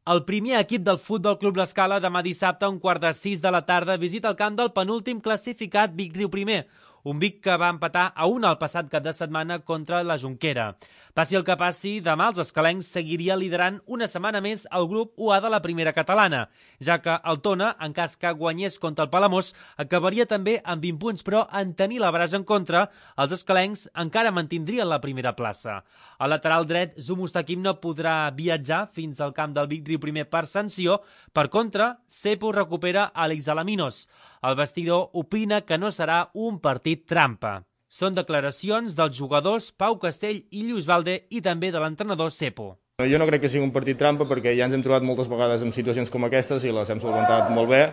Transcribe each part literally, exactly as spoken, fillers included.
El primer equip del Futbol Club L'Escala demà dissabte a un quart de sis de la tarda visita el camp del penúltim classificat Vic Riu Primer, un Vic que va empatar a una el passat cap de setmana contra la Jonquera. Passi el que passi, demà els escalencs seguiria liderant una setmana més el grup u A de la primera catalana, ja que el Tona, en cas que guanyés contra el Palamós, acabaria també amb vint punts, però en tenir la brasa en contra, els escalencs encara mantindrien la primera plaça. El lateral dret, Zou Mustaquim, no podrà viatjar fins al camp del Vic Riu Primer per sanció. Per contra, Cepo recupera Àlex Alaminos. El vestidor opina que no serà un partit trampa. Són declaracions dels jugadors Pau Castell i Lluís Valde i també de l'entrenador Cepo. Jo no crec que sigui un partit trampa perquè ja ens hem trobat moltes vegades en situacions com aquestes i les hem solventat molt bé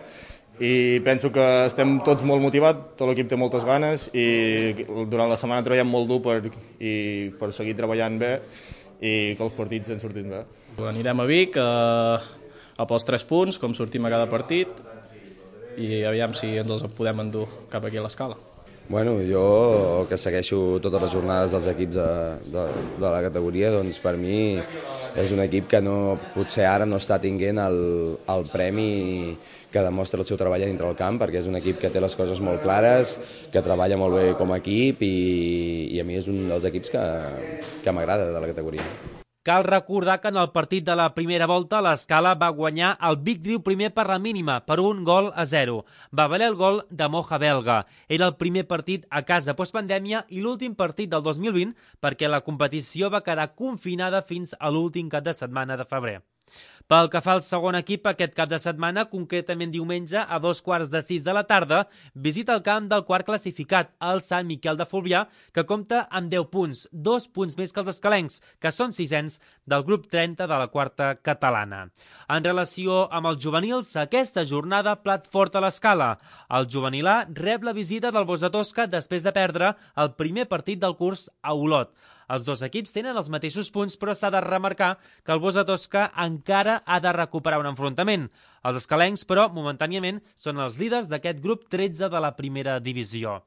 i penso que estem tots molt motivats, tot l'equip té moltes ganes i durant la setmana treballem molt dur per, i per seguir treballant bé i que els partits ens surtin bé. Anirem a Vic a, a pels tres punts, com sortim a cada partit, i aviam si ens els podem endur cap aquí a l'Escala. Bueno, jo que segueixo totes les jornades dels equips de, de, de la categoria, doncs per mi és un equip que no, potser ara no està tinguent el, el premi que demostra el seu treball dintre del camp, perquè és un equip que té les coses molt clares, que treballa molt bé com a equip i, i a mi és un dels equips que, que m'agrada de la categoria. Cal recordar que en el partit de la primera volta l'Escala va guanyar el Vic Riu Primer per la mínima, per un gol a zero. Va valer el gol de Moja Belga. Era el primer partit a casa postpandèmia i l'últim partit del dos mil vint perquè la competició va quedar confinada fins a l'últim cap de setmana de febrer. Pel que fa al segon equip, aquest cap de setmana, concretament diumenge, a dos quarts de sis de la tarda, visita el camp del quart classificat, el Sant Miquel de Fluvià, que compta amb deu punts, dos punts més que els escalencs, que són sisens del grup trenta de la quarta catalana. En relació amb els juvenils, aquesta jornada plat fort a l'Escala. El juvenil A rep la visita del Bosch de Tosca després de perdre el primer partit del curs a Olot. Els dos equips tenen els mateixos punts, però s'ha de remarcar que el Bosch de Tosca encara ha de recuperar un enfrontament. Els escalencs, però, momentàniament, són els líders d'aquest grup tretze de la primera divisió.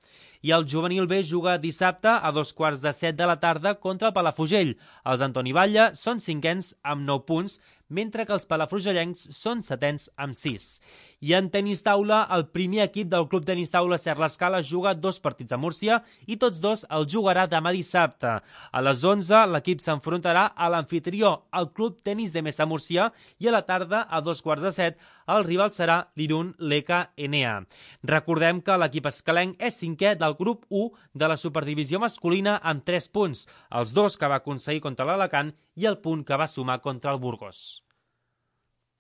I el juvenil B juga dissabte a dos quarts de set de la tarda contra el Palafrugell. Els Antoni Batlle són cinquens amb nou punts, mentre que els palafrugellencs són setens amb sis. I en tenis taula, el primer equip del Club Tenis Taula Ser l'Escala juga dos partits a Múrcia i tots dos el jugarà demà dissabte. A les onze l'equip s'enfrontarà a l'amfitrió, el Club Tenis de Mesa Múrcia, i a la tarda, a dos quarts de set, el rival serà l'Irun Leka Enea. Recordem que l'equip escalenc és cinquè del grup u de la superdivisió masculina amb tres punts, els dos que va aconseguir contra l'Alacant i el punt que va sumar contra el Burgos.